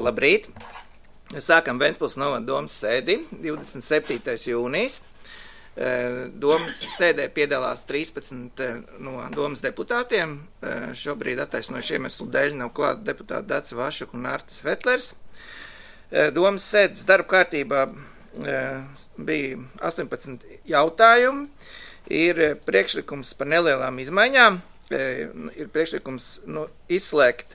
Labrīt! Sākam Ventspils novada domas sēdi, 27. jūnijas. Domas sēdē piedalās 13 no domas deputātiem. Šobrīd attaisnojuši iemeslu dēļ nav klāta deputāta Dace Vašuka un Artis Vetlers. Domas sēdes darba kārtībā bija 18 jautājumi. Ir priekšlikums par nelielām izmaiņām. Ir priekšlikums izslēgt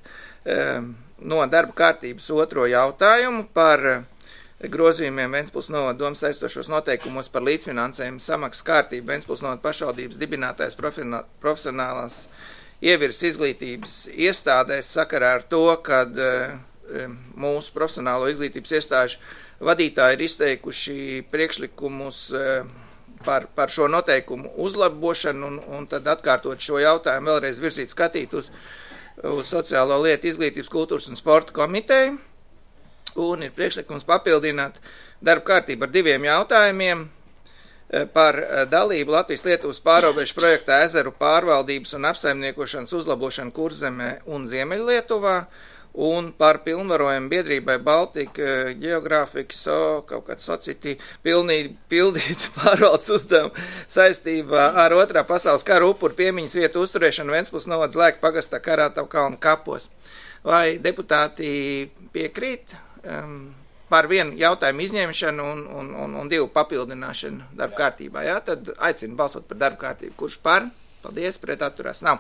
no darba kārtības otro jautājumu par grozījumiem Ventspils novada domas saistošos noteikumos par līdzfinansējumu samaksas kārtību Ventspils novada pašvaldības dibinātais profesionālās ievirs izglītības iestādēs sakarā ar to, kad mūsu profesionālo izglītības iestāžu vadītāji ir izteikuši priekšlikumus par šo noteikumu uzlabošanu un tad atkārtot šo jautājumu vēlreiz virzīt skatīt uz Sociālo lietu, izglītības, kultūras un sporta komiteju. Un ir priekšlikums papildināt darba kārtību ar 2 jautājumiem par dalību Latvijas-Lietuvas pārobežu projektā ezeru pārvaldības un apsaimniekošanas uzlabošanu Kurzemē un Ziemeļlietuvā un par pilnvarojumu biedrībai Baltika Geographic kaut kāds society pildīt pārvaldes uzdevumu saistībā ar Otrā pasaules kara upuru piemiņas vietu uzturēšanu Ventspils novadas Lēku pagastā Karātavu kalnu kapos. Vai deputāti piekrīt par 1 jautājumu izņemšanu un 2 papildināšanu darba kārtībā? Jā, tad aicinu balsot par darba kārtību. Kurš par? Paldies, pret atturās nav.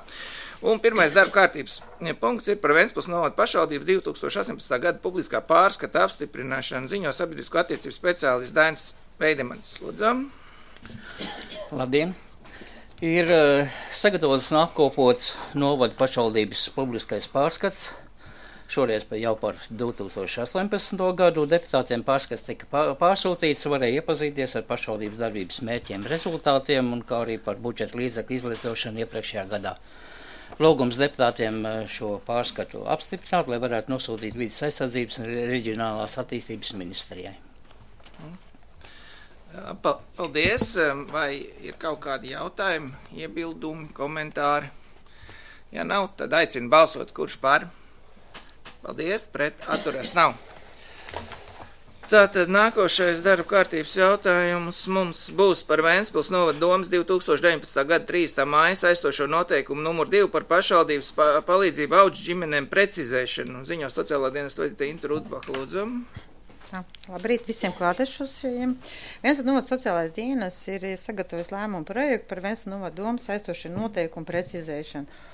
Un pirmais darba kārtības punkts ir par Ventspils novada pašvaldības 2018. gada publiskā pārskata apstiprināšanu, ziņo sabiedrisko attiecību speciālists Dainis Veidemanis. Lūdzam. Labdien! Ir sagatavots un apkopots novada pašvaldības publiskais pārskats. Šoreiz jau par 2018. gadu deputātiem pārskats tika pārsūtīts, varēja iepazīties ar pašvaldības darbības mērķiem, rezultātiem un kā arī par budžeta līdzekļu izlietošanu iepriekšējā gadā. Lūgums deputātiem šo pārskatu apstiprināt, lai varētu nosūtīt vides aizsardzības un reģionālās attīstības ministrijai. Paldies! Vai ir kaut kādi jautājumi, iebildumi, komentāri? Ja nav, tad aicinu balsot, kurš par. Paldies, pret atturās nav. Tātad nākošais darba kārtības jautājums mums būs par Ventspils novada domas 2019. gada 3. māja saistošo noteikumu numur 2 par pašvaldības palīdzību auģu ģimenēm precizēšanu. Ziņo sociālā dienesta vadītāja Inta Rudbaka, lūdzam. Labrīt visiem klātešusiem. Ventspils novada sociālais dienas ir sagatavojis lēmumu projektu par Ventspils novada domas saistošo noteikumu precizēšanu.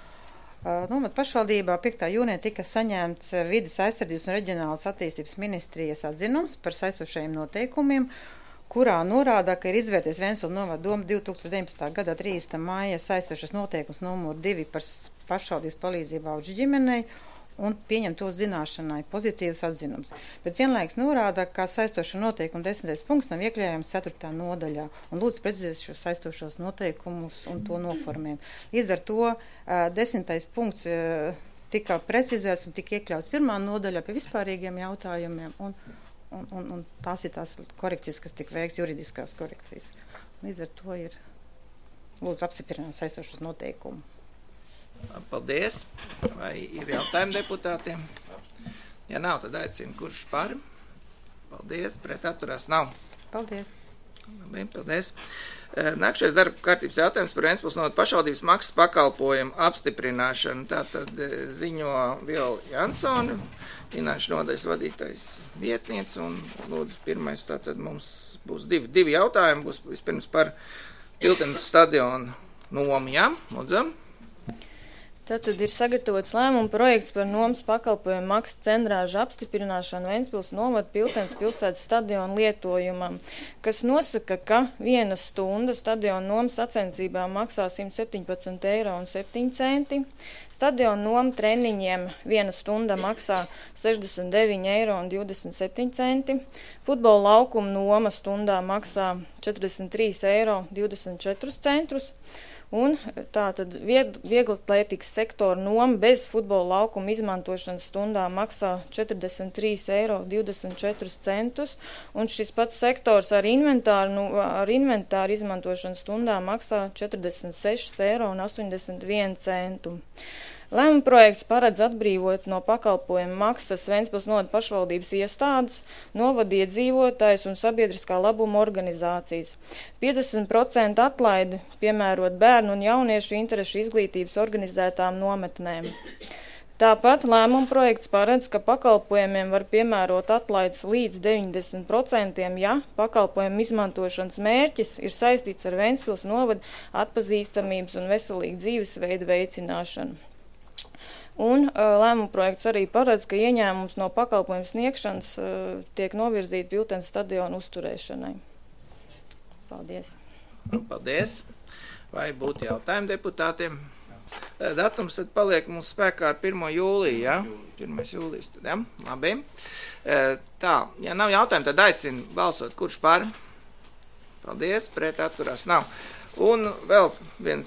Novada pašvaldībā 5. jūnijā tika saņemts vides aizsardzības un reģionālās attīstības ministrijas atzinums par saistošajiem noteikumiem, kurā norāda, ka ir izvērties Ventspils novada doma 2019. gada 3. māja saistošas noteikums numur 2 par pašvaldības palīdzību auģu ģimenei un pieņem to zināšanai pozitīvas atzinums. Bet vienlaiks norāda, ka saistošo noteikumu 10. punkts nav iekļaujams 4. nodaļā un lūdzu precizēt šos saistošos noteikumus un to noformējumu. Līdz ar to 10. punkts tika precizēts un tika iekļauts 1. nodaļā pie vispārīgiem jautājumiem un tās ir tās korekcijas, kas tika veikts, juridiskās korekcijas. Līdz ar to ir lūdzu apstiprināt saistošos noteikumu. Paldies. Vai ir jautājumi deputātiem? Ja nav, tad aicinu, kurš par. Paldies, pret atturās nav. Paldies. Labi, paldies. Nākšais darba kārtības jautājums par Ventspils novada pašvaldības maksas pakalpojumu apstiprināšanu. Tātad ziņo Viola Jansone, finanšu nodaļas vadītājs vietniece, un lūdzu pirmais, tātad mums būs divi jautājumi, būs vispirms par Piltenes stadionu nomu, jā, lūdzam. Tātad ir sagatavots lēmuma projekts par nomas pakalpojumu maksas centrāžu apstiprināšanu Ventspils novada Piltenes pilsētas stadionu lietojumam, kas nosaka, ka 1 stunda stadionu nomas sacensībā maksā 117,07 eiro. Stadionu noma treniņiem 1 stunda maksā 69,27 eiro. Futbola laukuma noma stundā maksā 43,24 eiro. Un tātad vieglatlētikas sektora noma bez futbola laukuma izmantošanas stundā maksā 43,24 eiro, un šis pats sektors ar inventāru izmantošanas stundā maksā 46,81 eiro. Lēmuma projekts paredz atbrīvot no pakalpojuma maksas Ventspils novada pašvaldības iestādes, novada iedzīvotājus un sabiedriskā labuma organizācijas. 50% atlaidi piemērot bērnu un jauniešu interešu izglītības organizētām nometnēm. Tāpat lēmuma projekts paredz, ka pakalpojumiem var piemērot atlaides līdz 90%, ja pakalpojumu izmantošanas mērķis ir saistīts ar Ventspils novada atpazīstamības un veselīgu dzīvesveidu veicināšanu. Un lēmuma projekts arī paredz, ka ieņēmums no pakalpojumu sniegšanas tiek novirzīti Piltens stadionu uzturēšanai. Paldies. Paldies. Vai būtu jautājumi deputātiem? Datums tad paliek mums spēkā ar 1. jūliju, ja? 1. jūlijas, tad, ja? Labi. Tā, ja nav jautājumu, tad aicinu balsot, kurš par? Paldies, pret atturās nav. Un vēl viens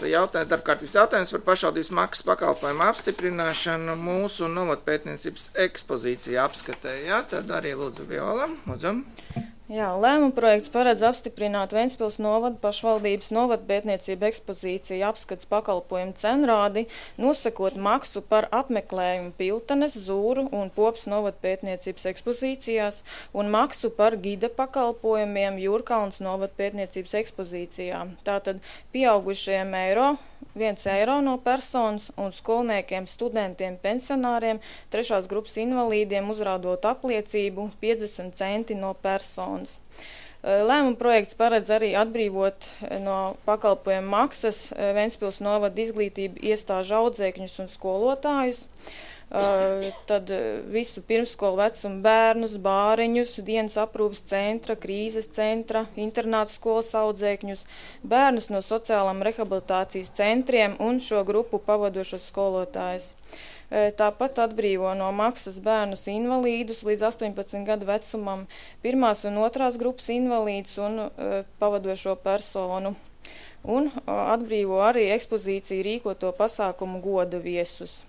jautājums, darbkārtības jautājums par pašvaldības maksas pakalpojumu apstiprināšanu mūsu novatpētniecības ekspozīcija apskatē, ja? Tad arī lūdzu Viola, lūdzu. Jā, lēmuma projekts paredz apstiprināt Ventspils novada pašvaldības novatpētniecību ekspozīciju apskats pakalpojumu cenrādi, nosakot maksu par apmeklējumu Piltenes, Zūru un Popas novatpētniecības ekspozīcijās un maksu par gida pakalpojumiem Jūrkalns novatpētniecības ekspozīcijā. Tātad pieaugušajiem €1 no personas un skolniekiem, studentiem, pensionāriem, 3. grupas invalīdiem uzrādot apliecību 50 centi no personas. Lēmuma projekts paredz arī atbrīvot no pakalpojumu maksas Ventspils novada izglītību iestāžu audzēkņus un skolotājus, tad visu pirmsskolu vecumu bērnus, bāriņus, dienas aprūpas centra, krīzes centra, internāta skolas audzēkņus, bērnus no sociālām rehabilitācijas centriem un šo grupu pavadošos skolotājus. Tāpat atbrīvo no maksas bērnus invalīdus līdz 18 gadu vecumam, 1. un 2. grupas invalīdus un pavadošo personu. Un atbrīvo arī ekspozīciju rīkoto pasākumu goda viesus.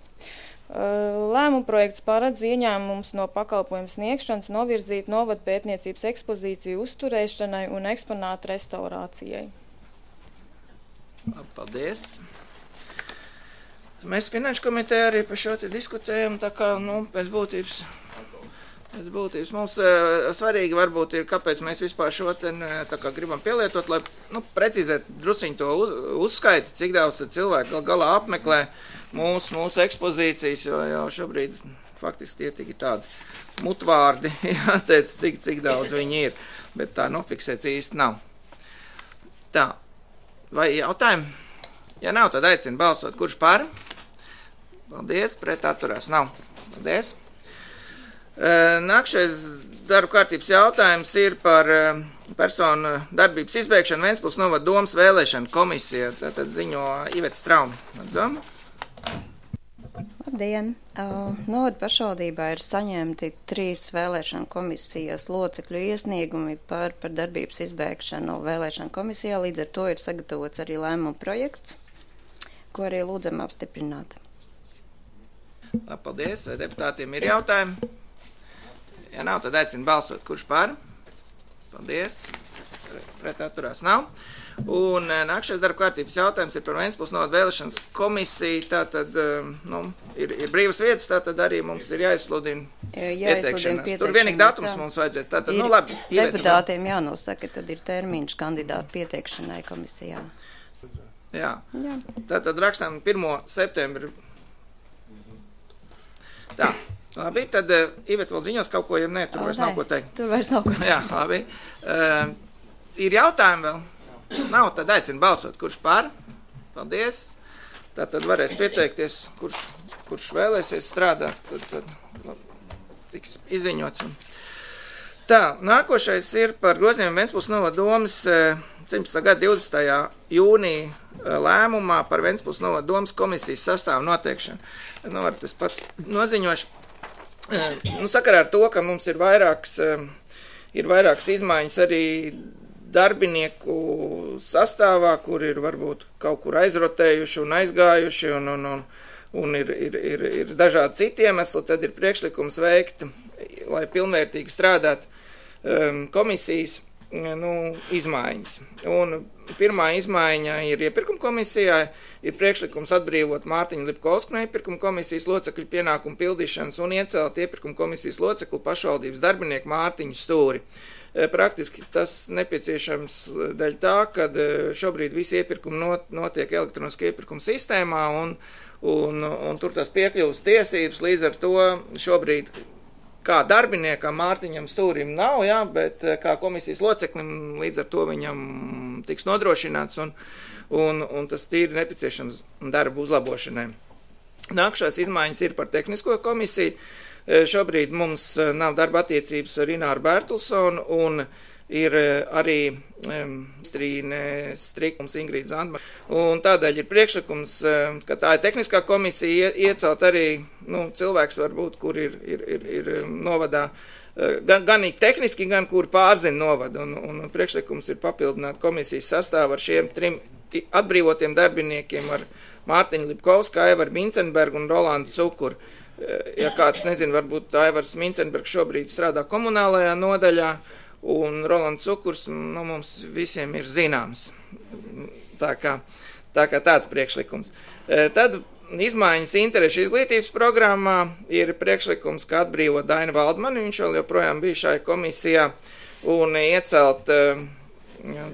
Lēmuma projekts paredz ieņēmums no pakalpojumu sniegšanas novirzīt novatpētniecības ekspozīciju uzturēšanai un eksponātu restaurācijai. Paldies. Mēs Finanšu komitejā arī par šo te diskutējam, tā kā, pēc būtības mums svarīgi varbūt ir, kāpēc mēs vispār šo te tā kā gribam pielietot, lai, precīzēt drusciņu to uzskaiti, cik daudz cilvēku galā apmeklē mūsu ekspozīcijas, jo šobrīd faktiski tie tikai tādi mutvārdi, jāteic, cik daudz viņi ir, bet tā nofiksēts īsti nav. Tā, vai jautājumi? Ja nav, tad aicinu balsot, kurš par? Paldies, pret atturās nav. Paldies. Nākšais darba kārtības jautājums ir par personu darbības izbeigšanu Ventspils novada domas vēlēšanu komisija. Tātad ziņo Iveta Straumi. Lūdzu. Labdien! Novada pašvaldībā ir saņemti 3 vēlēšanu komisijas locekļu iesniegumi par darbības izbeigšanu vēlēšanu komisijā. Līdz ar to ir sagatavots arī lēmuma projekts, ko arī lūdzam apstiprināt. Paldies. Vai deputātiem ir jautājumi? Ja nav, tad aicinu balsot. Kurš par? Paldies. Pret atturās nav. Un nākšais darba kārtības jautājums ir par Ventspils novada vēlēšanas komisiju. Tātad, ir brīvas vietas, tātad arī mums ir jāizsludina pieteikšanās. Tur vienīgi datums mums vajadzētu. Tātad, labi. Deputātiem jānosaka, tad ir termiņš kandidātu pieteikšanai komisijā. Jā. Tātad rakstām 1. septembri. Tā. Labi, tad Iveta vēl ziņos kaut ko, ja nē, tur vairs nav ko teikt. Tur vairs nav ko teikt. Jā, labi. Ir jautājumi vēl? Nav, tad aicinu balsot. Kurš par? Paldies. Tātad varēs pieteikties, kurš vēlēsies strādāt, tad tiks izziņots. Tā, nākošais ir par grozījumiem Ventspils novada domas 17. gada 20. jūnija lēmumā par Ventspils novada domas komisijas sastāvu noteikšanu. Var tas pats noziņošu. Sakarā ar to, ka mums ir vairākas izmaiņas arī darbinieku sastāvā, kur ir varbūt kaut kur aizrotējuši un aizgājuši un ir dažādi citi iemesli, tad ir priekšlikums veikt, lai pilnvērtīgi strādāt komisijas izmaiņas. Un pirmā izmaiņa ir iepirkuma komisijā, ir priekšlikums atbrīvot Mārtiņu Lipkovsku no iepirkuma komisijas locekļu pienākumu pildīšanas un iecelt iepirkuma komisijas locekli pašvaldības darbinieku Mārtiņu Stūri. Praktiski tas nepieciešams dēļ tā, kad šobrīd visi iepirkumi notiek elektroniski iepirkuma sistēmā un tur tas piekļuvas tiesības, līdz ar to šobrīd kā darbiniekam Mārtiņam Stūrim nav, jā, bet kā komisijas loceklim līdz ar to viņam tiks nodrošināts un tas tīri nepieciešams darba uzlabošanai. Nākšās izmaiņas ir par tehnisko komisiju. Šobrīd mums nav darba attiecības ar Ināru Bērtulsonu un ir arī Strīne Strikums Ingrīda Zandma. Un tādēļ ir priekšlikums, ka tā ir tehniskā komisija iecelt arī cilvēks varbūt, kur ir novadā gan tehniski, gan kur pārzina novadu. Un priekšlikums ir papildināt komisijas sastāvu ar šiem 3 atbrīvotiem darbiniekiem, ar Mārtiņu Lipkovsku, Aivaru Mincenbergu un Rolandu Cukuru. Ja kāds nezina, varbūt Aivars Mincenbergs šobrīd strādā komunālajā nodaļā, un Rolands Cukurs mums visiem ir zināms. Tā kā tāds priekšlikums. Tad izmaiņas interešu izglītības programmā ir priekšlikums, kā atbrīvot Dainu Valdmani, viņš vēl joprojām bija šai komisijā, un iecelt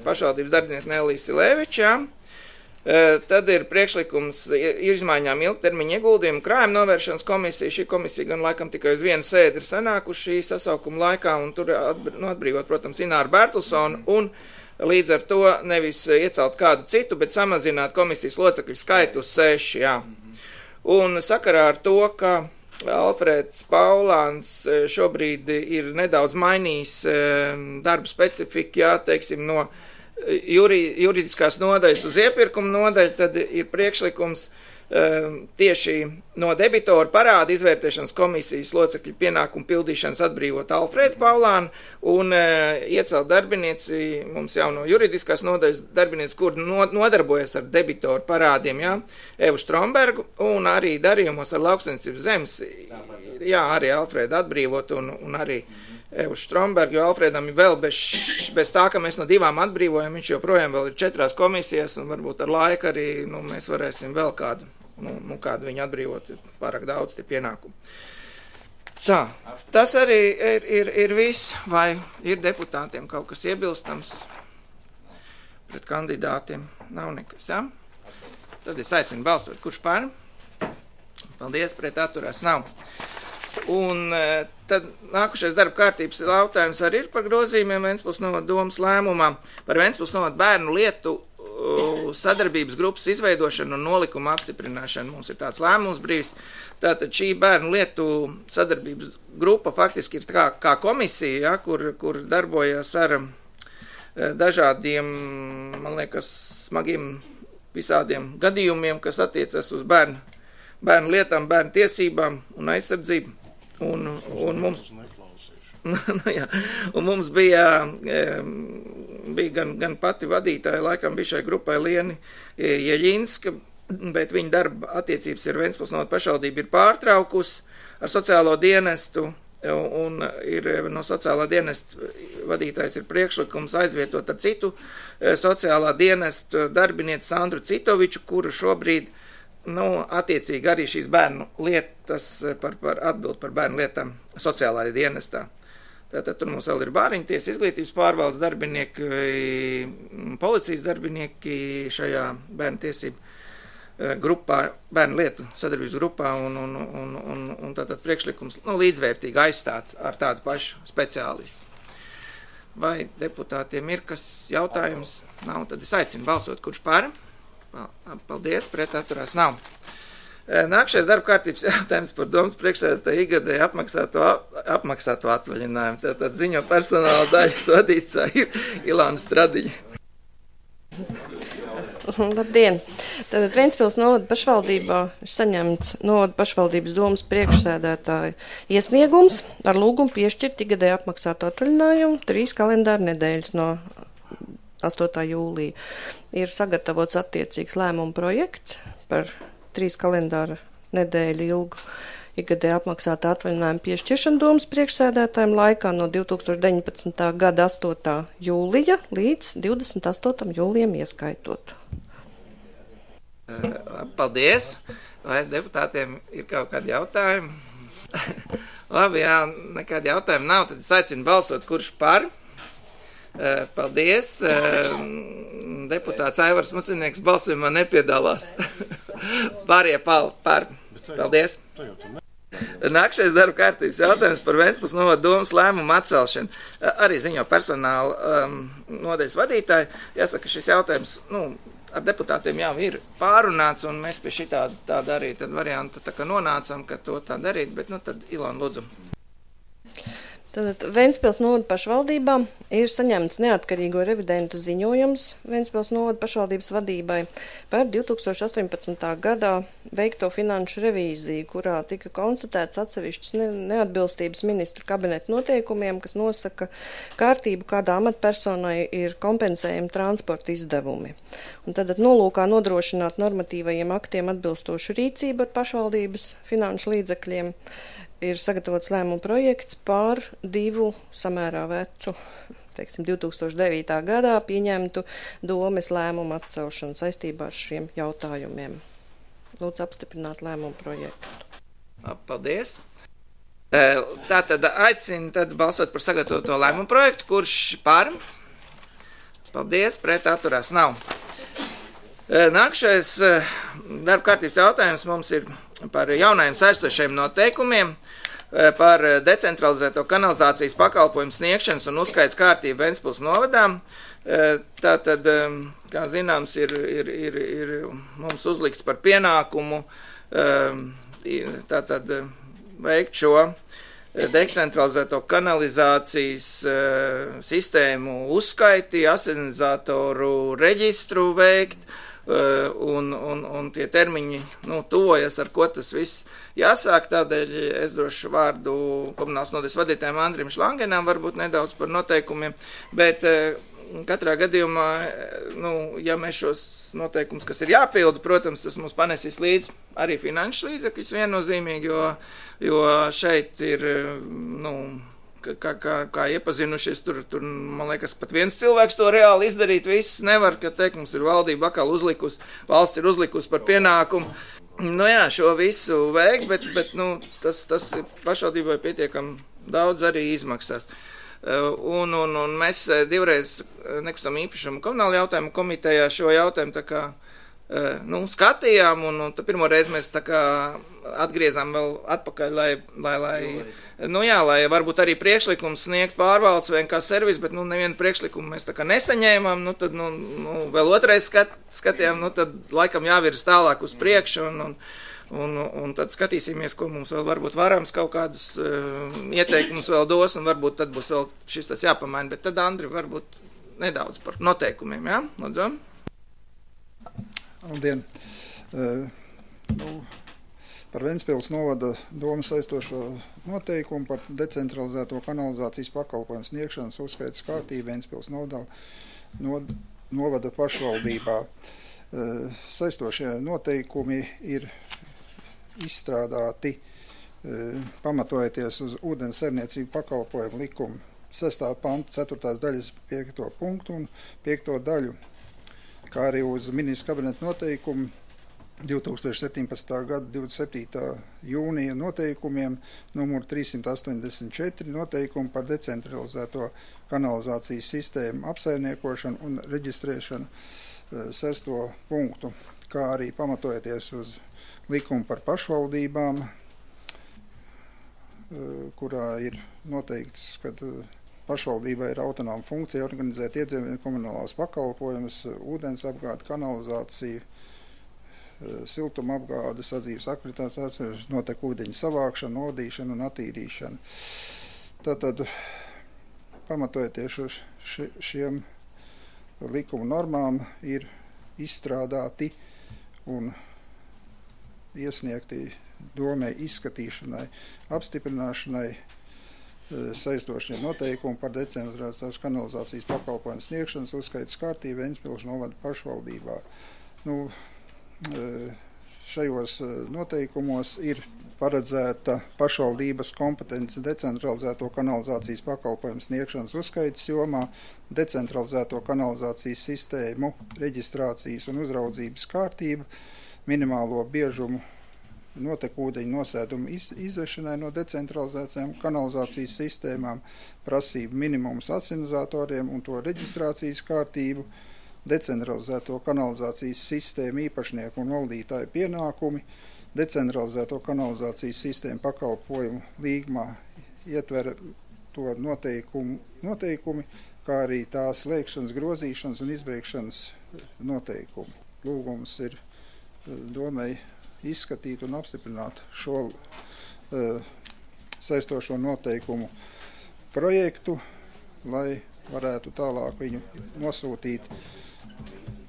pašvaldības darbinieku Neliju Silēvičā. Tad ir priekšlikums izmaiņām ilgtermiņa ieguldījumu krājuma novēršanas komisija. Šī komisija gan laikam tikai uz vienu sēdi ir sanākuši šī sasaukuma laikā, un tur atbrīvot, protams, Ināru Bērtulsonu, un līdz ar to nevis iecelt kādu citu, bet samazināt komisijas locekļu skaitu uz 6, jā. Un sakarā ar to, ka Alfrēds Paulāns šobrīd ir nedaudz mainījis darba specifiku, jā, teiksim, no juridiskās nodaļas uz iepirkuma nodaļu, tad ir priekšlikums tieši no debitoru parāda izvērtēšanas komisijas locekļu pienākumu pildīšanas atbrīvot Alfrēdu Paulānu un iecelt darbinieci, mums jau no juridiskās nodaļas darbinieci, kur nodarbojas ar debitoru parādiem, jā, Evu Strombergu, un arī darījumos ar lauksaimniecības zemes, jā, arī Alfrēdu atbrīvot un arī Evu Strombergu, jo Alfrēdam ir vēl bez tā, ka mēs no 2 atbrīvojam, viņš joprojām vēl ir 4 komisijas, un varbūt ar laiku arī mēs varēsim vēl kādu viņu atbrīvot, pārāk daudz tie pienākumi. Tā, tas arī ir viss, vai ir deputātiem kaut kas iebilstams pret kandidātiem? Nav nekas, jā? Tad es aicinu balsot, kurš par? Paldies, pret atturās nav. Un tad nākušais darba kārtības jautājums arī ir par grozījumiem Ventspils novada domas lēmumā par Ventspils novada bērnu lietu sadarbības grupas izveidošanu un nolikumu apstiprināšanu. Mums ir tāds lēmums brīvs. Tātad šī bērnu lietu sadarbības grupa faktiski ir kā komisija, ja, kur darbojas ar dažādiem, man liekas, smagiem visādiem gadījumiem, kas attiecas uz bērnu lietām, bērnu tiesībām un aizsardzību. Un mums bija gan pati vadītāja, laikam bija šai grupai Lieni Jeļinska, bet viņa darba attiecības ar Ventspils novada pašvaldību ir pārtraukusi ar sociālo dienestu, un ir no sociālā dienesta vadītājs ir priekšlikums aizvietot ar citu sociālā dienesta darbinieci Sandru Citoviču, kuru šobrīd attiecīgi arī šīs bērnu lietas atbild par bērnu lietām sociālajā dienestā. Tātad tur mums vēl ir bāriņtiesa, izglītības pārvaldes darbinieki, policijas darbinieki šajā bērnu tiesību grupā, bērnu lietu sadarbības grupā un tātad priekšlikums līdzvērtīgi aizstāt ar tādu pašu speciālistu. Vai deputātiem ir kas jautājums? Nav, tad es aicinu balsot, kurš par? Paldies, pret atturās nav. Nākšais darba kārtības jautājums par domas priekšsēdētāja ikgadēju apmaksāto atvaļinājumu. Tātad ziņo personāla daļas vadītāja ir Ilāna Stradiņa. Labdien! Tātad Ventspils novada pašvaldībā ir saņemts novada pašvaldības domas priekšsēdētāja iesniegums ar lūgumu piešķirt ikgadēju apmaksāto atvaļinājumu 3 kalendāra nedēļas no 8. jūlija. Ir sagatavots attiecīgs lēmuma projekts par 3 kalendāra nedēļu ilgu ikgadēji apmaksāta atvaļinājuma piešķiršana domas priekšsēdētājiem laikā no 2019. gada 8. jūlija līdz 28. jūlijam ieskaitot. Paldies! Vai deputātiem ir kaut kādi jautājumi? Labi, jā, nekādi jautājumi nav, tad es aicinu balsot, kurš par. Paldies. Deputāts Aivars Mucinieks balsojumā nepiedalās. Pārējie par. Paldies. Nākšais darba kārtības jautājums par Ventspils novada domas lēmumu atcelšanu. Arī ziņo personāla nodaļas vadītāji. Jāsaka, šis jautājums, ar deputātiem jau ir pārunāts, un mēs pie šī tāda arī tad varianta tā kā nonācam, ka to tā darīt, bet tad Ilona lūdzu. Tātad Ventspils novada pašvaldībā ir saņemts neatkarīgo revidentu ziņojums Ventspils novada pašvaldības vadībai par 2018. gadā veikto finanšu revīziju, kurā tika konstatēts atsevišķas neatbilstības ministru kabineta noteikumiem, kas nosaka kārtību, kādā amatpersonai ir kompensējumi transporta izdevumi. Un tad nolūkā nodrošināt normatīvajiem aktiem atbilstošu rīcību ar pašvaldības finanšu līdzekļiem ir sagatavots lēmuma projekts par 2 samērā vecu, 2009. gadā pieņemtu domes lēmumu atcelšanu saistībā ar šiem jautājumiem. Lūdzu apstiprināt lēmumu projektu. Paldies. Tātad aicinu balsot par sagatavoto lēmumu projektu, kurš par. Paldies, pret atturās nav. Nākšais darba kārtības jautājums mums ir par jaunajiem saistošiem noteikumiem par decentralizēto kanalizācijas pakalpojumu sniegšanas un uzskaits kārtību Ventspils novadā. Tātad, kā zināms, ir mums uzlikts par pienākumu tātad veikt šo decentralizēto kanalizācijas sistēmu uzskaiti, asinizatoru reģistru veikt. Un tie termiņi tuvojas, ar ko tas viss jāsāk. Tādēļ es došu vārdu komunālas nodaļas vadītājiem Andrim Šlangenam varbūt nedaudz par noteikumiem, bet katrā gadījumā, ja mēs šos noteikumus, kas ir jāpilda, protams, tas mums panesīs līdz arī finanšu līdzekļus viennozīmīgi, jo šeit ir, kā iepazinušies, tur, man liekas, pat viens cilvēks to reāli izdarīt, viss nevar, ka teikt, mums ir valdība atkal uzlikusi, valsts ir uzlikusi par pienākumu. Šo visu veikt, bet tas pašvaldībai pietiekam daudz arī izmaksās. Un mēs divreiz nekustamā īpašuma komunāla jautājumu komitejā šo jautājumu tā kā skatījām, un pirmo reizi mēs tā kā atgriezām vēl atpakaļ, lai varbūt arī priekšlikums sniegt pārvaldes vai kā servis, bet nevienu priekšlikumu mēs tā kā nesaņēmām, tad vēl otrais skatījām, tad laikam jāvirs tālāk uz priekšu, un tad skatīsimies, ko mums vēl varbūt varams kaut kādus ieteikumus vēl dos, un varbūt tad būs vēl šis tas jāpamaina, bet tad Andri varbūt nedaudz par noteikumiem, jā? Lūdzu. Labdien! Par Ventspils novada domas saistošo noteikumu par decentralizēto kanalizācijas pakalpojumu sniegšanas uzskaitas kārtību Ventspils novada pašvaldībā. Saistošie noteikumi ir izstrādāti pamatojoties uz ūdens saimniecību pakalpojumu likumu 6. panta 4. daļas 5. punktu un 5. daļu, kā arī uz ministra kabineta noteikumu 2017. gada 27. jūnija noteikumiem numur 384 noteikumu par decentralizēto kanalizācijas sistēmu apsaimniekošanu un reģistrēšanu 6. punktu, kā arī pamatojoties uz likumu par pašvaldībām, kurā ir noteikts, ka pašvaldībai ir autonoma funkcija organizēt iedzīvotāju komunālās pakalpojumus, ūdens apgādi, kanalizāciju, siltuma apgāde, sadzīves aktivitātes, notiek ūdeņu savākšana, nodīšana un attīrīšana. Tātad, pamatojoties uz šiem likuma normām, ir izstrādāti un iesniegti domē izskatīšanai, apstiprināšanai saistošie noteikumi par decentralizētās kanalizācijas pakalpojumu sniegšanas uzskaitas kārtību Ventspils novada pašvaldībā. šajos noteikumos ir paredzēta pašvaldības kompetence decentralizēto kanalizācijas pakalpojumu sniegšanas uzskaites jomā, decentralizēto kanalizācijas sistēmu, reģistrācijas un uzraudzības kārtību, minimālo biežumu notekūdeņu nosēdumu izvešanai no decentralizētajām kanalizācijas sistēmām, prasību minimums asinizatoriem un to reģistrācijas kārtību, decentralizēto kanalizācijas sistēmu īpašnieku un valdītāju pienākumi, decentralizēto kanalizācijas sistēmu pakalpojumu līgumā ietver to noteikumi, kā arī tās slēgšanas, grozīšanas un izbeigšanas noteikumi. Lūgums ir domai izskatīt un apstiprināt šo saistošo noteikumu projektu, lai varētu tālāk viņu nosūtīt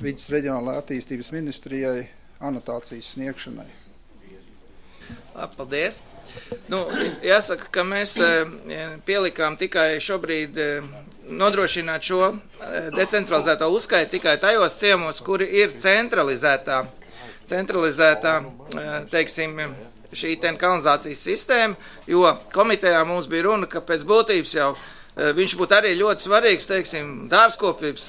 Vides reģionālajai attīstības ministrijai anotācijas sniegšanai. Paldies. Jāsaka, ka mēs pielikām tikai šobrīd nodrošināt šo decentralizēto uzskaitu tikai tajos ciemos, kuri ir centralizētā, teiksim, šī kanalizācijas sistēma, jo komitejā mums bija runa, ka pēc būtības jau viņš būtu arī ļoti svarīgs, teiksim, dārzkopības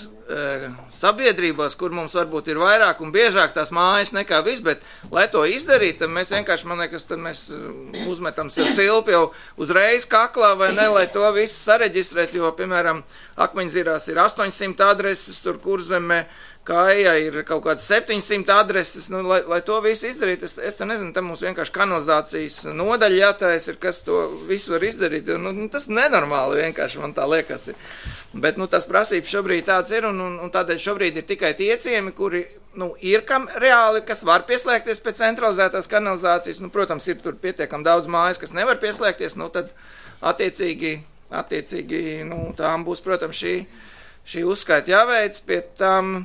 sabiedrībās, kur mums varbūt ir vairāk un biežāk tās mājas nekā viss, bet, lai to izdarīt, tad mēs vienkārši, man liekas, tad mēs uzmetam sev cilpi jau uzreiz kaklā, vai ne, lai to visu sareģistrēt, jo, piemēram, Akmeņzirās ir 800 adreses, tur Kurzemē, Kāja ir kaut kāds 700 adreses, lai to visu izdarīt, es te nezinu, tam mums vienkārši kanalizācijas nodaļa jātais ir, kas to visu var izdarīt, tas nenormāli vienkārši, man tā liekas ir. Bet, tas prasības šobrīd tāds ir, un tādēļ šobrīd ir tikai tie ciemi, kuri, ir kam reāli, kas var pieslēgties pēc centralizētās kanalizācijas, protams, ir tur pietiekam daudz mājas, kas nevar pieslēgties, tad attiecīgi, tām būs, protams, šī uzskaita jāveic, pie tām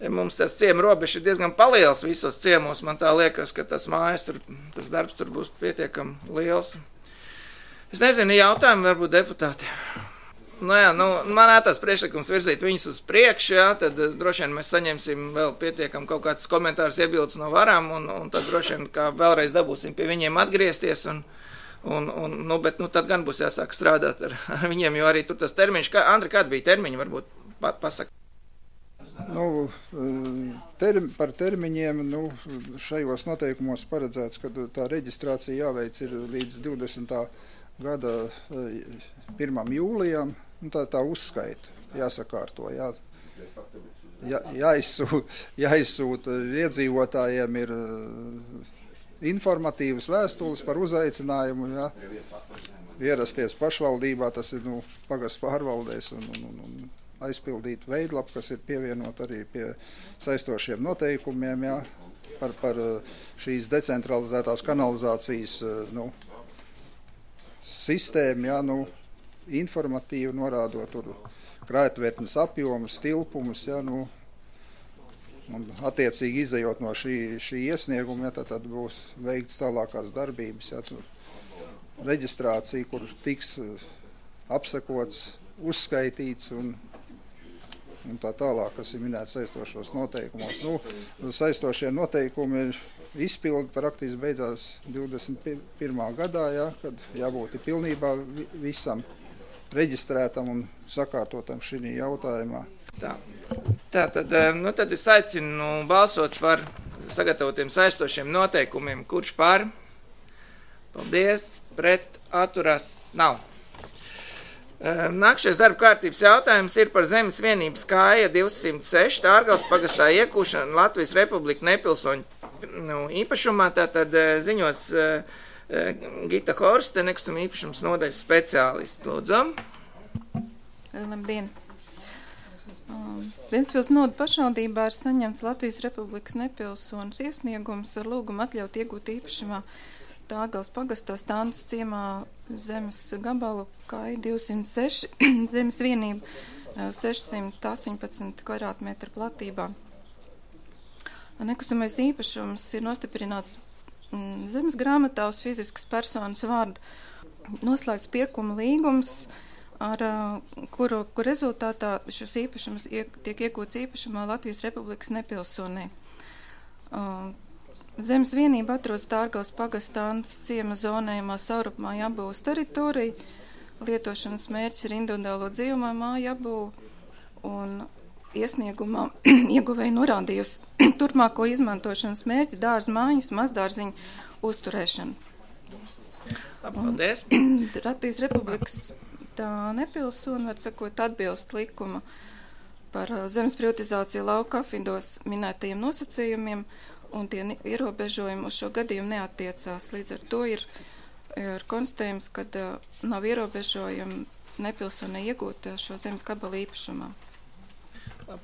mums tas ciemu robežs ir diezgan paliels visos ciemos, man tā liekas, ka tas mājas tur, tas darbs tur būs pietiekam liels. Es nezinu, jautājumi varbūt deputāti. Man ētās priekšlikums virzīt viņus uz priekšu, tad droši vien mēs saņemsim vēl pietiekam kaut kāds komentārus iebildes no varām, un tad droši vien kā vēlreiz dabūsim pie viņiem atgriezties, bet tad gan būs jāsāk strādāt ar viņiem, jo arī tur tas termiņš, Andri, kāda bija termiņa, varbūt pasaka? Par termiņiem šajos noteikumos paredzēts, ka tā reģistrācija jāveic ir līdz 20. gada 1. jūlijam, tā uzskaita jāsakārto, jāizsūta iedzīvotājiem ir informatīvas vēstules par uzaicinājumu, ierasties pašvaldībā, tas ir pagastu pārvaldēs un aizpildīt veidlapu, kas ir pievienot arī pie saistošiem noteikumiem, par šīs decentralizētās kanalizācijas sistēmu, informatīvi norādot tur krājtvertnes apjomus, tilpumus, un attiecīgi izejot no šī iesnieguma, tad būs veikts tālākās darbības, reģistrācija, kur tiks apsekots, uzskaitīts un tā tālāk, kas ir minēts saistošos noteikumos. Saistošie noteikumi ir izpildi praktiski beidzās 21. gadā, kad jābūt pilnībā visam reģistrētam un sakārtotam šī jautājumā. Tad es aicinu balsot par sagatavotiem saistošiem noteikumiem. Kurš par? Paldies. Pret atturās nav. Nākšais darba kārtības jautājums ir par zemes vienības Kāja 206 Ārgales pagastā iekūšanu Latvijas Republika nepilsoņu īpašumā. Tātad ziņos Gita Horste, nekustuma īpašums nodaļas speciālisti. Lūdzu. Labdien. Ventspils novada pašvaldībā ir saņemts Latvijas Republikas nepilsonas iesniegums ar lūgumu atļaut iegūt īpašumā Ārgales pagastā Stāndas ciemā zemes gabalu Kāja 206, zemes vienība 618 kvadrātmetru platībā. Nekustamais īpašums ir nostiprināts zemes grāmatā uz fiziskas personas vārdu. Noslēgts pirkuma līgums, ar kuru rezultātā šis īpašums tiek iegūts īpašumā Latvijas Republikas nepilsonē. Zemes vienība atrodas Tārgals pagastāns ciema zonējumā Saurupmāja apbūves teritorija. Lietošanas mērķis ir individuālo dzīvojamo māju apbūve, un iesniegumā ieguvēja norādījusi turpmāko izmantošanas mērķi dārza mājas, mazdārziņu uzturēšanu. Paldies. Latvijas Republikas tā nepilsona, var sakot, atbilst likuma par zemes privatizāciju lauka apvidos minētajiem nosacījumiem, un tie ierobežojumi uz šo gadījumu neattiecās. Līdz ar to ir konstatējums, ka nav ierobežojumi nepilsonai iegūt šo zemes gabalu īpašumā.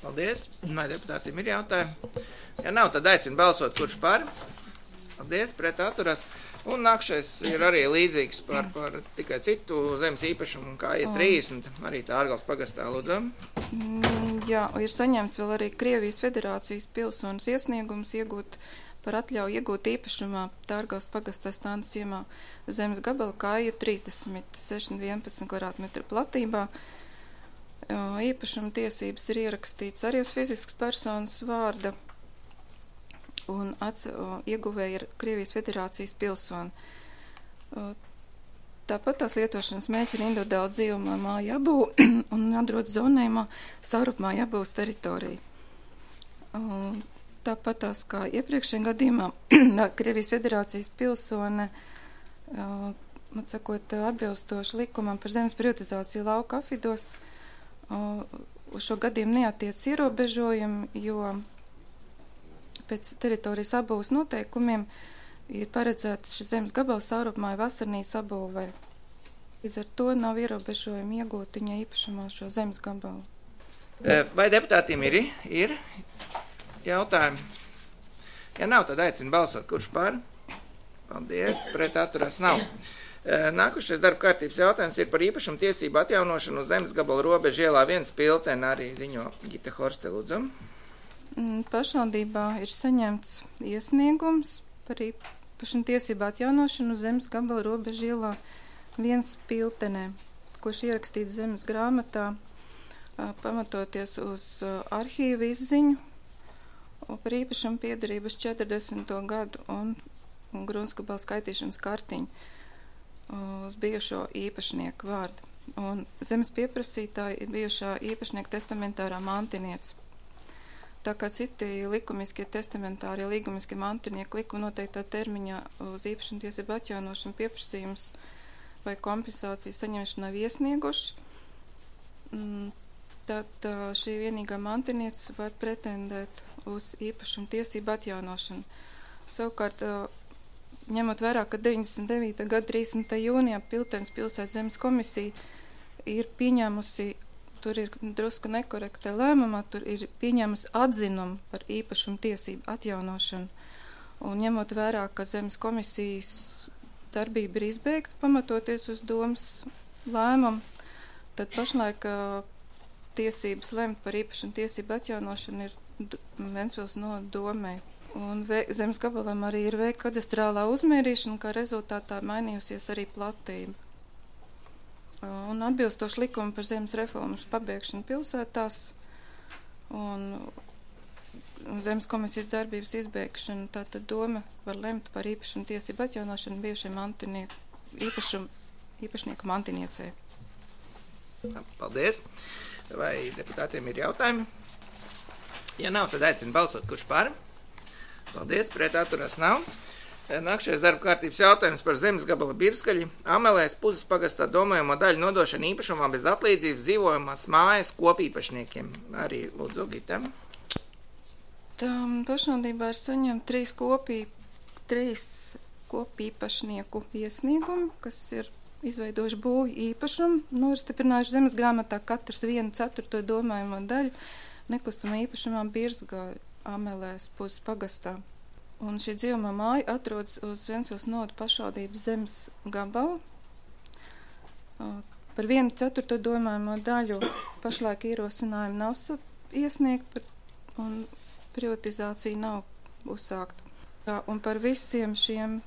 Paldies. Vai deputātiem ir jautājumi? Ja nav, tad aicinu balsot, kurš par. Paldies, pret atturas. Un nākšais ir arī līdzīgs par tikai citu zemes īpašumu, kā ir 30, arī Tārgals pagastā, lūdzu. Jā, ir saņemts vēl arī Krievijas Federācijas pilsonas iesniegums iegūt par atļauju iegūt īpašumā Tārgals pagastā stānas ciemā zemes gabala, kā ir 3611 kvadrātmetru platībā. Īpašuma tiesības ir ierakstīts arī uz fiziskas personas vārda, un ieguvēja ir Krievijas Federācijas pilsoni. Tāpat tās lietošanas mērķis ir individuāli dzīvojamā māja apbūve un atrodas zonējumā Saurupmāja apbūves teritorija. Tāpat tās kā iepriekšējā gadījumā Krievijas Federācijas pilsone, atbilstoši likumam par zemes privatizāciju lauka apvidos, uz šo gadījumu neatiec ierobežojumi, jo pēc teritorijas apbūves noteikumiem ir paredzēts šis zemes gabals Saurupmāja vasarnīcas apbūvē. Līdz ar to nav ierobežojumi iegūt viņa īpašumā šo zemes gabalu. Vai deputātiem ir jautājumi? Ja nav, tad aicinu balsot, kurš par. Paldies, pret atturās nav. Nākušais darba kārtības jautājums ir par īpašumu tiesību atjaunošanu uz zemes gabalu robežu ielā 1 Piltene, arī ziņo Gita Horste, lūdzu. Pašvaldībā ir saņemts iesniegums par īpašumu tiesību atjaunošanu uz zemes gabala robežu ielā 1 Piltenē, kurš ierakstīts zemes grāmatā, pamatoties uz arhīva izziņu par īpašumu piederības 40. gadu un gruntsgabala skaitīšanas kartiņu uz bijušo īpašnieku vārdu. Un zemes pieprasītāji ir bijušā īpašnieka testamentārā mantiniece. Tā kā citi likumiskie testamentārie līgumiskie mantinieki likuma noteiktā termiņā uz īpašumu tiesību atjaunošanu pieprasījums vai kompensāciju saņemšanu nav iesnieguši, tad šī vienīgā mantiniece var pretendēt uz īpašumu tiesību atjaunošanu. Savukārt, ņemot vērā, ka 99. gada 30. jūnijā Piltenes pilsētas zemes komisija ir pieņēmusi, tur ir drusku nekorekta lēmumā, tur ir pieņēmusi atzinumu par īpašumu tiesību atjaunošanu. Un ņemot vērā, ka zemes komisijas darbība ir izbeigta, pamatoties uz domas lēmumu, tad pašlaik tiesības lemt par īpašumu tiesību atjaunošanu ir Ventspils domē. Un zemes gabalam arī ir veikta kadastrālā uzmērīšana, kā rezultātā mainījusies arī platība. Un atbilstoši likumu par zemes reformas pabeigšanu pilsētās un zemes komisijas darbības izbeigšanu, tātad doma var lemt par īpašumu tiesību atjaunošanu bijušiem īpašnieku mantiniecei. Paldies. Vai deputātiem ir jautājumi? Ja nav, tad aicinu balsot, kurš par. Paldies, pret atturās nav. Nākšais darba kārtības jautājums par zemes gabala Birskaļi. Amelēs Puzes pagastā domājamo daļu nodošana īpašumā bez atlīdzības dzīvojamās mājas kopīpašniekiem. Arī lūdzu, Gita. Pašvaldībā ir saņemt 3 kopīpašnieku iesniegumi, kas ir izveidojuši būvju īpašumu, nostiprinājuši zemes grāmatā katrs 1/4 domājamo daļu nekustamā īpašumā Birzgā Amelēs Puzes pagastā. Un šī dzīvojamā māja atrodas uz Ventspils novada pašvaldības zemes gabalu. Par 1/4 domājamo daļu pašlaik ierosinājumi nav iesniegt un privatizācija nav uzsākta. Un par visiem šiem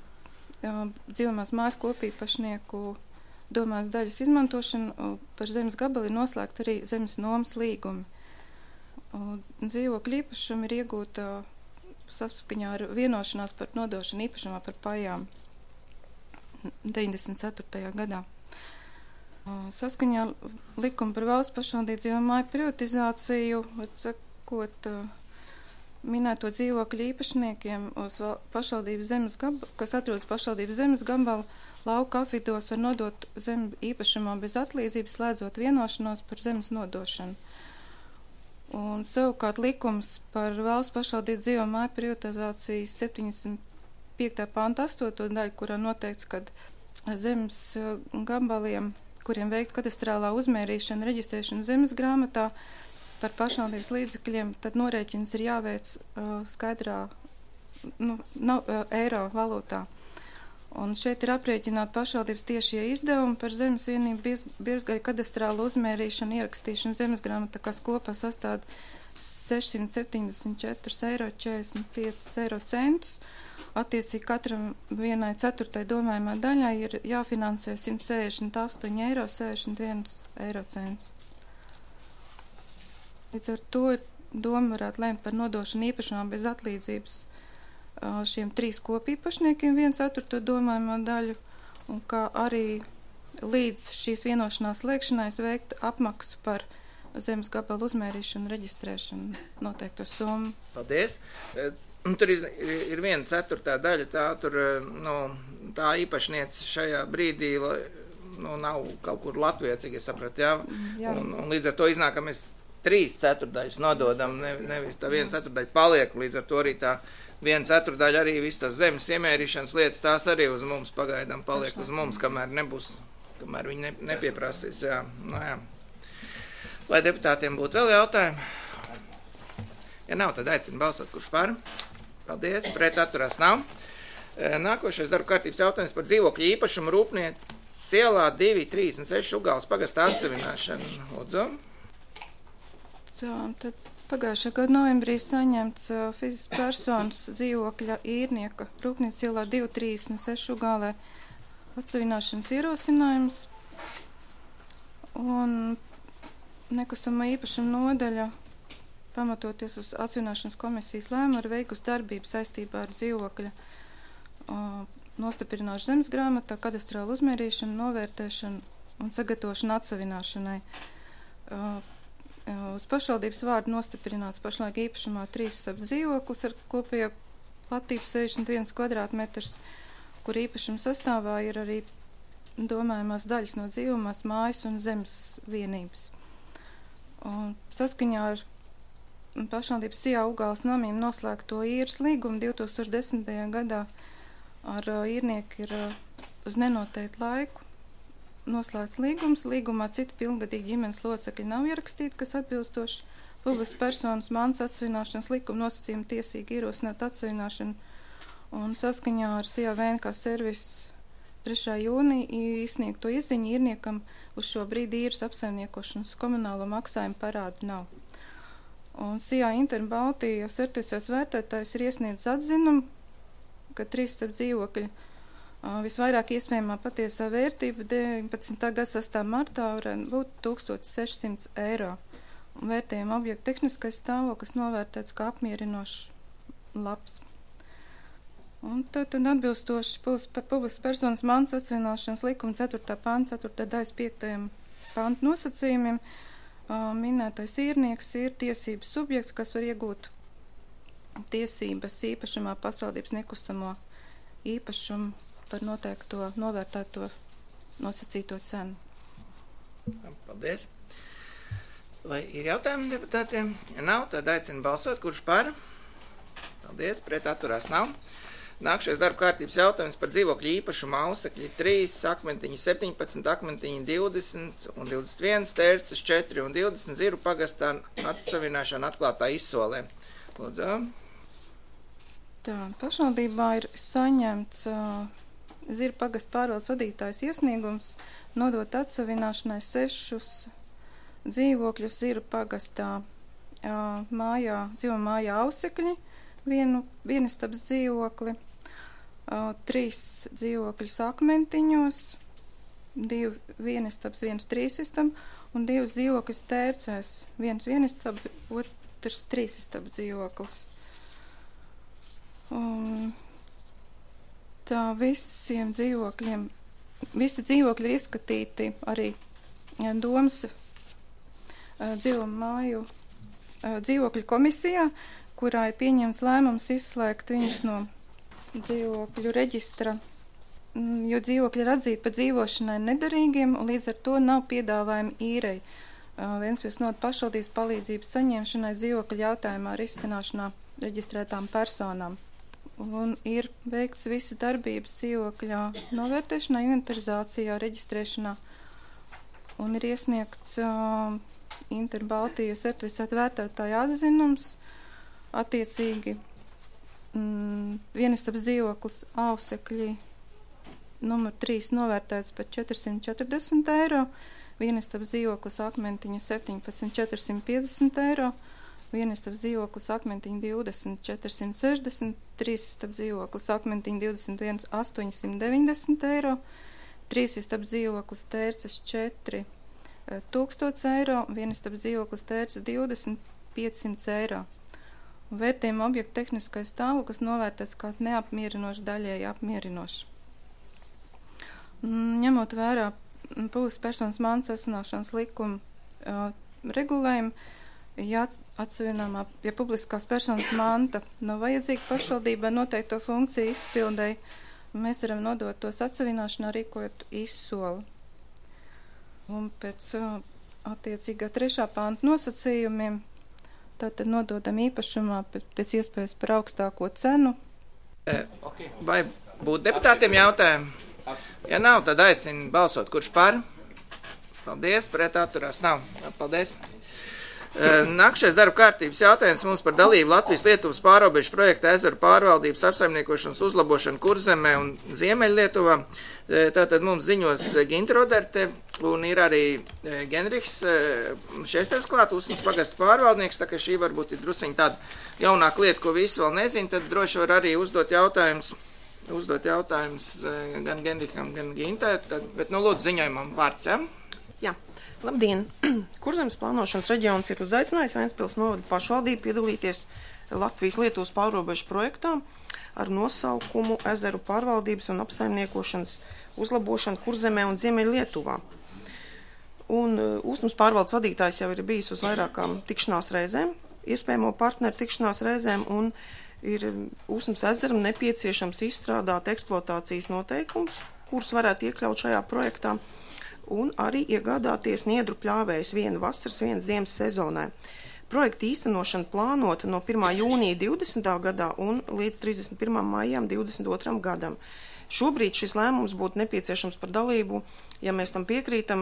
dzīvojamās mājas kopīpašnieku domās daļas izmantošanu par zemes gabalu ir noslēgta arī zemes nomas līgumi. Dzīvokļu īpašumi ir iegūta saskaņā ar vienošanās par nodošanu īpašumā par pajām 94. gadā. Saskaņā likumu par valsts pašvaldību dzīvo māju privatizāciju, sakot, minēto dzīvokļu īpašniekiem uz pašvaldības zemes gabalu, kas atrodas pašvaldības zemes gabalu, lauka apvidos var nodot zemi īpašumā bez atlīdzības, slēdzot vienošanos par zemes nodošanu. Un savukārt likums par valsts pašvaldību dzīvo māju privatizācijas 75. panta 8. daļu, kurā noteikts, ka zemes gabaliem, kuriem veikt kadastrālā uzmērīšana, reģistrēšana zemes grāmatā par pašvaldības līdzekļiem, tad norēķins ir jāveic skaidrā eiro valūtā. Un šeit ir aprēķināti pašvaldības tiešie izdevumi par zemes vienību birzgaļu kadastrālu uzmērīšanu, ierakstīšanu zemes grāmatā, kas kopā sastāv 674,45 eiro centus. Attiecīgi katram vienai ceturtai domājumā daļai ir jāfinansē 168,61 eiro centus. Līdz ar to doma varētu lēmt par nodošanu īpašumā bez atlīdzības šiem 3 kopīpašniekiem 1/4 domājumā daļu, un kā arī līdz šīs vienošanās slēgšanai veikt apmaksu par zemes gabalu uzmērīšanu, reģistrēšanu noteikto summu. Paldies! Tur ir 1/4 daļa, tā īpašniece šajā brīdī nav kaut kur Latvijā, cik es sapratu, jā? Un līdz ar to iznāk, ka mēs 3/4 nododam, nevis tā 1/4 paliek, līdz ar to arī tā 1/4 arī viss tās zemes iemērīšanas lietas, tās arī uz mums pagaidām paliek uz mums, kamēr viņi nepieprasīs, jā. Jā. Vai deputātiem būtu vēl jautājumi? Ja nav, tad aicinu balsot, kurš par. Paldies, pret atturās nav. Nākošais darba kārtības jautājums par dzīvokļu īpašumu Rūpniecības ielā 236 Ugāles pagasta atsevināšanu. Lūdzu. Tad pagājušā gada novembrī saņemts fiziskas personas dzīvokļa īrnieka Rūpniecības ielā 236 Ugālē atsevināšanas ierosinājums. Un nekustamā īpašuma nodaļa, pamatoties uz atsevināšanas komisijas lēmumu, ir veikusi darbību saistībā ar dzīvokļa nostiprināšanu zemes grāmatā, kadastrālu uzmērīšanu, novērtēšanu un sagatavošanu atsevināšanai. Uz pašvaldības vārdu nostiprināts pašlaik īpašumā 3 stabu dzīvoklis ar kopējo platību 61 kvadrātmetrs, kur īpašuma sastāvā ir arī domājumās daļas no dzīvumās mājas un zemes vienības. Un saskaņā ar pašvaldības Sijā Ugāles namiem noslēgto īres līgumu 2010. gadā ar īrnieku ir uz nenoteiktu laiku noslēgts līgums. Līgumā citi pilngadīgi ģimenes locekļi nav ierakstīti, kas atbilstoši publiskas personas mantas atsevināšanas likuma nosacījumu tiesīgi ierosināt atsevināšanu. Un saskaņā ar Sijā VNK servisu 3. jūnija izsniegto izziņu īrniekam uz šo brīdi īres apsaimniekošanas komunālo maksājumu parādu nav. Un Sijā Interbaltija certificēts vērtētājs ir iesniedzis atzinumu, ka 3 stabu dzīvokļi visvairāk iespējamā patiesā vērtība 19. gada 6. martā varētu būt 1600 eiro. Un vērtējuma objekta tehniskais stāvoklis novērtēts kā apmierinošs labs. Un tad atbilstoši publiskas personas mantas atsevināšanas likuma 4. panta 4. daļas 5. panta nosacījumiem minētais īrnieks ir tiesības subjekts, kas var iegūt tiesības īpašumā pašvaldības nekustamo īpašumu par noteikto novērtēto nosacīto cenu. Paldies. Vai ir jautājumi deputātiem? Ja nav, tad aicinu balsot, kurš par. Paldies, pret atturās nav. Nākšais darba kārtības jautājums par dzīvokļu īpašumu Ausekļi 3, Akmentiņi 17, Akmentiņi 20 un 21, Tērces 4 un 20 Ziru pagastā atsevināšana atklātā izsolē. Lūdzu. Tā, pašvaldībā ir saņemts Ziru pagasta pārvaldes vadītājs iesniegums nodot atsevināšanai 6 dzīvokļus Ziru pagastā dzīvo mājā Ausekļi, vienistabas dzīvokli, 3 dzīvokļus Akmentiņos, 2 vienistabas, 1 trīsistab un 2 dzīvokļus Tērcēs, 1 vienistab, otrs trīsistab dzīvoklis. Tā visiem dzīvokļiem, visi dzīvokļi ir izskatīti arī domas dzīvo māju dzīvokļu komisijā, kurā ir pieņemts lēmums izslēgt viņus no dzīvokļu reģistra, jo dzīvokļi ir atzīti par dzīvošanai nederīgiem, un līdz ar to nav piedāvājumi īrei. Ventspils novada pašvaldības palīdzības saņemšanai dzīvokļu jautājumā risināšanā reģistrētām personām. Un ir veikts visi darbības dzīvokļā novērtēšanā, inventarizācijā, reģistrēšanā, un ir iesniegts Interbaltijas certificēta vērtētāja atzinums. Attiecīgi vienistabas dzīvoklis Ausekļi numur 3 novērtēts par 440 eiro, vienistabas dzīvoklis Akmentiņu 17 450 eiro, vienistabas dzīvoklis Akmentiņu 20 460, trīsistabas dzīvoklis Akmentiņu 21 890 eiro, trīsistabas dzīvoklis Tērces 4 1000 eiro, vienistabas dzīvoklis Tērces 20 500 eiro. Vērtējuma objekta tehniskais stāvoklis novērtēts kā neapmierinošs, daļēji apmierinošs. Ņemot vērā publiskas personas mantas atsevināšanas likuma regulējumu, ja publiskās personas manta nav vajadzīga pašvaldībai noteikto funkciju izpildēji, mēs varam nodot tos atsevināšanā, rīkojot izsoli. Un pēc attiecīgā 3. panta nosacījumiem tātad nododam īpašumā pēc iespējas par augstāko cenu. Vai būtu deputātiem jautājumi? Ja nav, tad aicinu balsot, kurš par. Paldies, pret atturās nav. Paldies. Nākšais darba kārtības jautājums mums par dalību Latvijas-Lietuvas pārobežu projekta ezeru pārvaldības apsaimniekošanas uzlabošanu Kurzemē un Ziemeļlietuvā. Tātad mums ziņos Ginta Roderte un ir arī Genriks Šesters klāt, Usmas pagasta pārvaldnieks, tā ka šī varbūt ir drusciņ tāda jaunāka lieta, ko visi vēl nezin, tad droši var arī uzdot jautājumus gan Genrikam, gan Gintai, bet lūdzu ziņojumam vārds, ja? Jā. Labdien! Kurzemes plānošanas reģions ir uzaicinājis Ventspils novada pašvaldību piedalīties Latvijas-Lietuvas pārrobežu projektā ar nosaukumu Ezeru pārvaldības un apsaimniekošanas uzlabošanu Kurzemē un Ziemeļlietuvā. Un Usmas pārvaldes vadītājs jau ir bijis uz vairākām tikšanās reizēm, iespējamo partneru tikšanās reizēm, un ir Usmas ezeram nepieciešams izstrādāt eksploatācijas noteikumus, kurus varētu iekļaut šajā projektā, un arī iegādāties niedru pļāvējus vienu vasaras, vienu ziemas sezonai. Projekta īstenošana plānota no 1. jūnija 20. gadā un līdz 31. maijam 22. gadam. Šobrīd šis lēmums būtu nepieciešams par dalību, ja mēs tam piekrītam,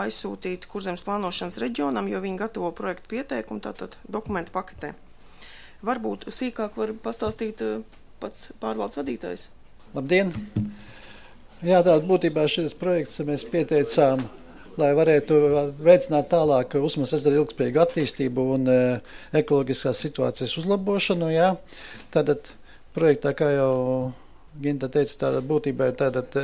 aizsūtīt Kurzemes plānošanas reģionam, jo viņi gatavo projektu pieteikumu, tātad dokumentu paketē. Varbūt sīkāk var pastāstīt pats pārvaldes vadītājs. Labdien! Jā, tātad būtībā šis projekts mēs pieteicām, lai varētu veicināt tālāk Usmas ezera ilgspējīgu attīstību un ekoloģiskās situācijas uzlabošanu. Jā. Tātad projektā, kā jau Ginta teica, tātad būtībā ir tātad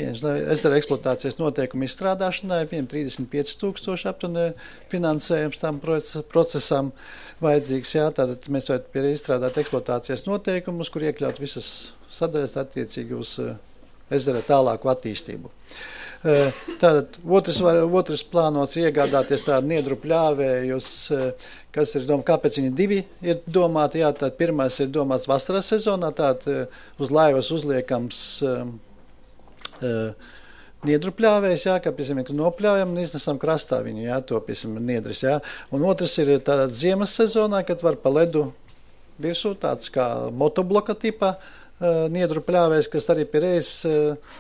ezera eksploatācijas noteikumu izstrādāšanai, 35 000 aptuveni finansējums tam procesam vajadzīgs. Jā. Tātad mēs varētu izstrādāt eksploatācijas noteikumus, kur iekļaut visas sadaļas attiecīgi uz ezera tālāku attīstību. Tātad otrs plānots iegādāties tādu niedru pļāvējus, kas ir domāts, kāpēc viņi divi ir domāti. Jā, tātad pirmais ir domāts vasaras sezonā, tātad uz laivas uzliekams niedru pļāvējs, jā, kā, piemēram, ka nopļaujam un iznesam krastā viņu, jā, to, piemēram, niedris, jā. Un otrs ir tātad ziemas sezonā, kad var pa ledu virsū, tāds kā motobloka tipā, niedru pļāvējs, kas arī pie reizes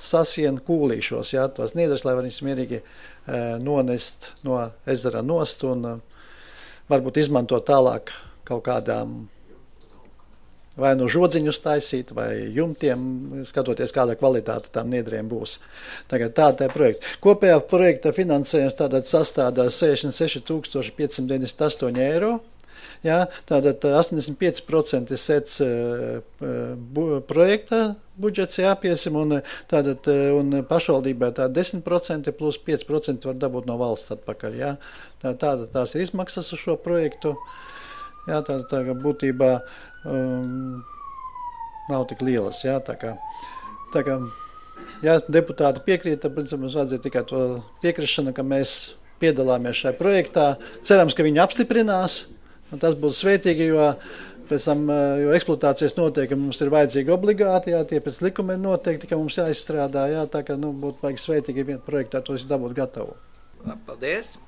sasien kūlīšos, jā, tos niedrus, lai viņas mierīgi nonest no ezera nost un varbūt izmantot tālāk kaut kādām vai no žodziņus taisīt, vai jumtiem, skatoties, kāda kvalitāte tām niedriem būs. Tagad tāda ir projekts. Kopējā projekta finansējums tātad sastādā 66 598 eiro. Jā, tātad 85% sēc projekta budžets jāpiesim, un pašvaldībai tā 10% plus 5% var dabūt no valsts atpakaļ. Jā. Tās ir izmaksas uz šo projektu. Jā, tā būtībā nav tik lielas, jā, tā kā, ja deputāti piekrīt, tad, principā, mums vajadzēja tikai to piekrišanu, ka mēs piedalāmies šajā projektā. Cerams, ka viņi apstiprinās, un tas būs svētīgi, jo pēc tam, jo eksploatācijas noteikumi mums ir vajadzīgi obligāti, jā, tie pēc likuma ir noteikti, ka mums jāizstrādā, jā, tā kā, būtu vajag svētīgi projektā tos dabūt gatavu. Paldies.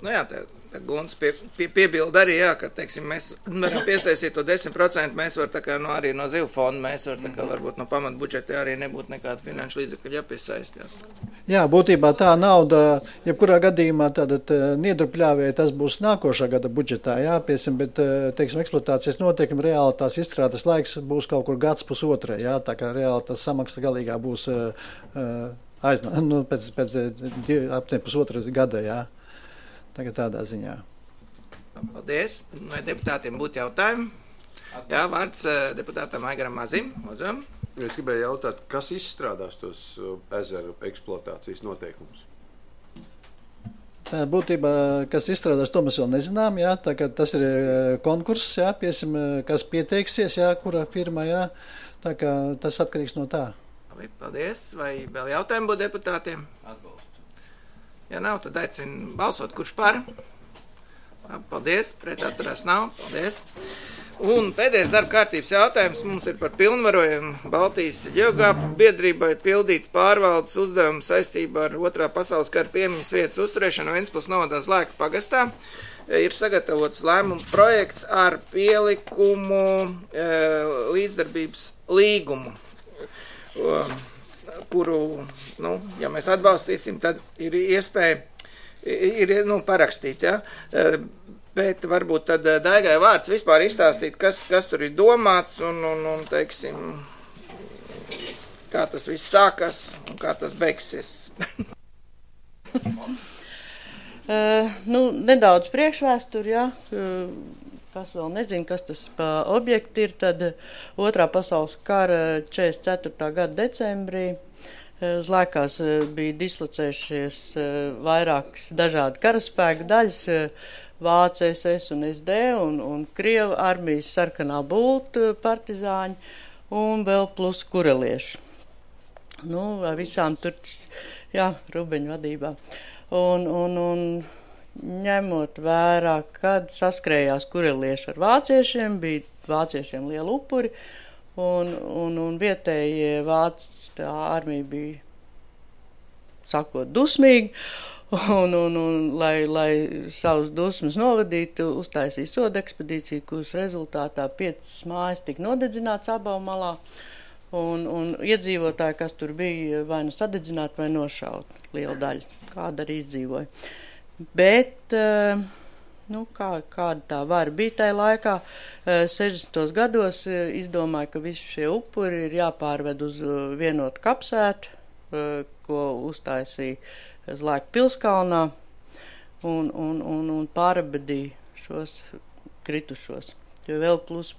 Jā, tā Gunts piebilda arī, jā, ka, teiksim, mēs varam piesaistīt to 10%, mēs var tā kā, arī no zivju fonda, mēs var tā kā, varbūt no pamatbudžeta arī nebūtu nekāda finanšu līdzekļa jāpiesaistās. Jā, būtībā tā nauda, jebkurā gadījumā tātad niedrupļāvēja, tas būs nākošā gada budžetā, jā, piesim, bet, teiksim, eksploatācijas noteikumi reāli tās izstrādes laiks būs kaut kur gads pusotrai, jā, tā kā reāli tas samaksa galīgā būs pēc pusotra gada, jā. Tagad tādā ziņā. Paldies. Vai deputātiem būtu jautājumi? Jā, vārds deputātam Aigaram Mazim. Lūdzu. Es gribēju jautāt, kas izstrādās tos ezeru eksploatācijas noteikumus? Tā būtībā, kas izstrādās, to mēs vēl nezinām, jā, tā kā tas ir konkurss, jā, piesim, kas pieteiksies, jā, kura firma, jā, tā kā tas atkarīgs no tā. Paldies. Vai vēl jautājumi būtu deputātiem? Atbalstu. Ja nav, tad aicinu balsot, kurš par. Paldies, pret atturās nav. Paldies. Un pēdējais darba kārtības jautājums mums ir par pilnvarojumu Baltijas ģeogrāfu biedrībai pildīt pārvaldes uzdevumu saistībā ar 2. pasaules kara piemiņas vietas uzturēšanu Ventspils novadā Zlēka pagastā. Ir sagatavots lēmumu projekts ar pielikumu līdzdarbības līgumu, kuru, ja mēs atbalstīsim, tad ir iespēja parakstīt, ja? Bet varbūt tad Daigai vārds vispār izstāstīt, kas tur ir domāts un teiksim, kā tas viss sākas un kā tas beigsies. Nedaudz priekšvēsturi, ja? Kas vēl nezinu, kas tas pa objekti ir, tad 2. pasaules kara 44. gada decembrī Zlēkās bija dislocējušies vairākas dažādi karaspēku daļas, Vācu SS un SD un Krievu armijas sarkanā bulta partizāņi un vēl plus kurelieši. Visām tur, jā, Rubeņu vadībā. Un ņemot vērā, kad saskrējās kurelieši ar vāciešiem, bija vāciešiem liela upuri, un vietējie vācu armija bija, sakot, dusmīgi, un lai savus dusmas novadītu, uztaisīja soda ekspedīciju, kuras rezultātā 5 mājas tika nodedzināts abām malā, un iedzīvotāji, kas tur bija, vai nu sadedzināti, vai nošaut liela daļa, kāda arī izdzīvoja. Bet, kāda tā var bija tajā laikā, 60. gados izdomāja, ka visi šie upuri ir jāpārved uz vienotu kapsētu, ko uztaisīja Zlēka pilskalnā, un pārabedīja šos kritušos. Jo vēl plus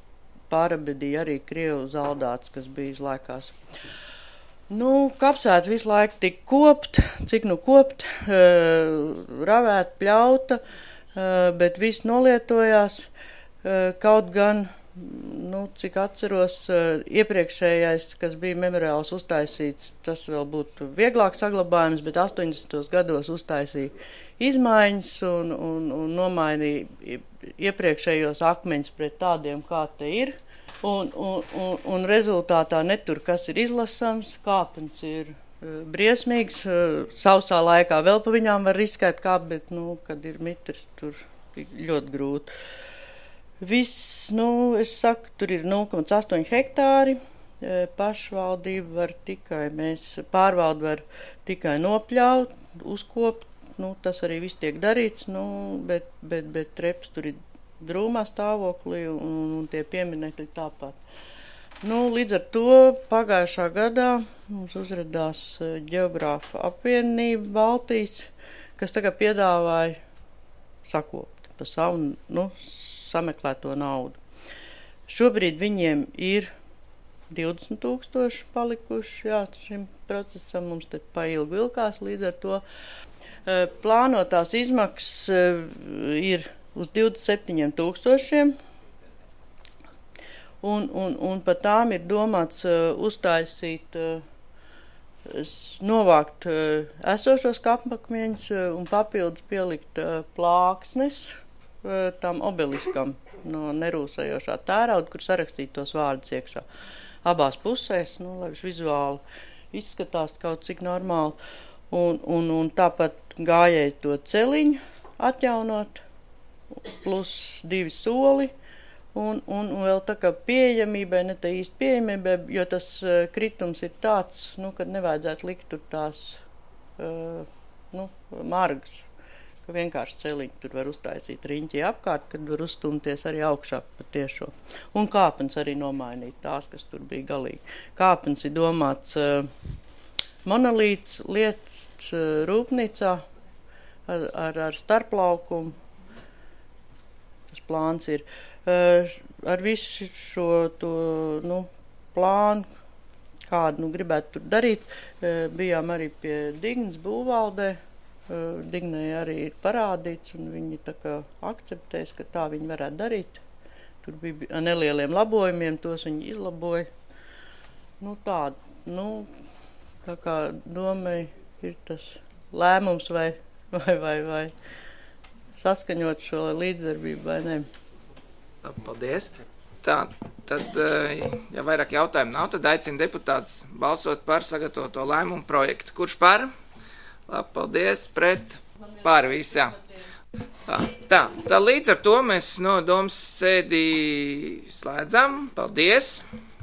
pārabedīja arī Krievu zaldāts, kas bija Zlēkās. Kapsēta visu laiku tika kopt, cik kopt, ravēt, pļauta, bet viss nolietojās, kaut gan, cik atceros, iepriekšējais, kas bija memoriāls uztaisīts, tas vēl būtu vieglāk saglabājums, bet 80. gados uztaisīja izmaiņas un nomainīja iepriekšējos akmeņus pret tādiem, kā te ir. Un rezultātā netur, kas ir izlasams, kāpens ir briesmīgs, sausā laikā vēl pa viņām var riskēt kāp, bet, kad ir mitrs, tur ļoti grūti. Viss, es saku, tur ir 0,8 hektāri, pašvaldība var tikai, pārvalde var tikai nopļaut, uzkopt, tas arī viss tiek darīts, bet treps tur ir drūmā stāvoklī un tie pieminekļi tāpat. Līdz ar to pagājušā gadā mums uzradās ģeogrāfa apvienība Baltijas, kas tagad piedāvāja sakopt pa savu, sameklēto naudu. Šobrīd viņiem ir 20,000 palikuši, jā, šim procesam mums te pailgi vilkās, līdz ar to plānotās izmaksas ir uz 27,000, un pa tām ir domāts uztaisīt, novākt esošos kapakmeņus un papildus pielikt plāksnes tam obeliskam no nerūsējošā tērauda, kur sarakstīt tos vārdus iekšā. Abās pusēs, lai viņš vizuāli izskatās kaut cik normāli. Un tāpat gājēji to celiņu atjaunot, plus 2 soli. Un vēl tā kā pieejamībai, ne tā īsti pieejamībai, jo tas kritums ir tāds, kad nevajadzētu likt tur tās, margas, ka vienkārši celiņi tur var uztaisīt riņķi apkārt, kad var uzstumties arī augšā pa tiešo. Un kāpens arī nomainīt tās, kas tur bija galīgi. Kāpens ir domāts monolīts lietas rūpnīcā ar starplaukumu. Tas plāns ir. Ar visu šo plānu, kādu gribētu tur darīt, bijām arī pie Dignas būvvaldē. Dignai arī ir parādīts, un viņi tā kā akceptēs, ka tā viņi varētu darīt. Tur bija nelieliem labojumiem, tos viņi izlaboja. Tā kā domai ir tas lēmums vai saskaņot šo līdzdarbību vai ne. Paldies. Tā, tad, ja vairāk jautājumu nav, tad aicinu deputātus balsot par sagatavoto lēmumu projektu. Kurš par? Labi, paldies. Pret? Par visā. Tā, līdz ar to mēs no domas sēdī slēdzam. Paldies.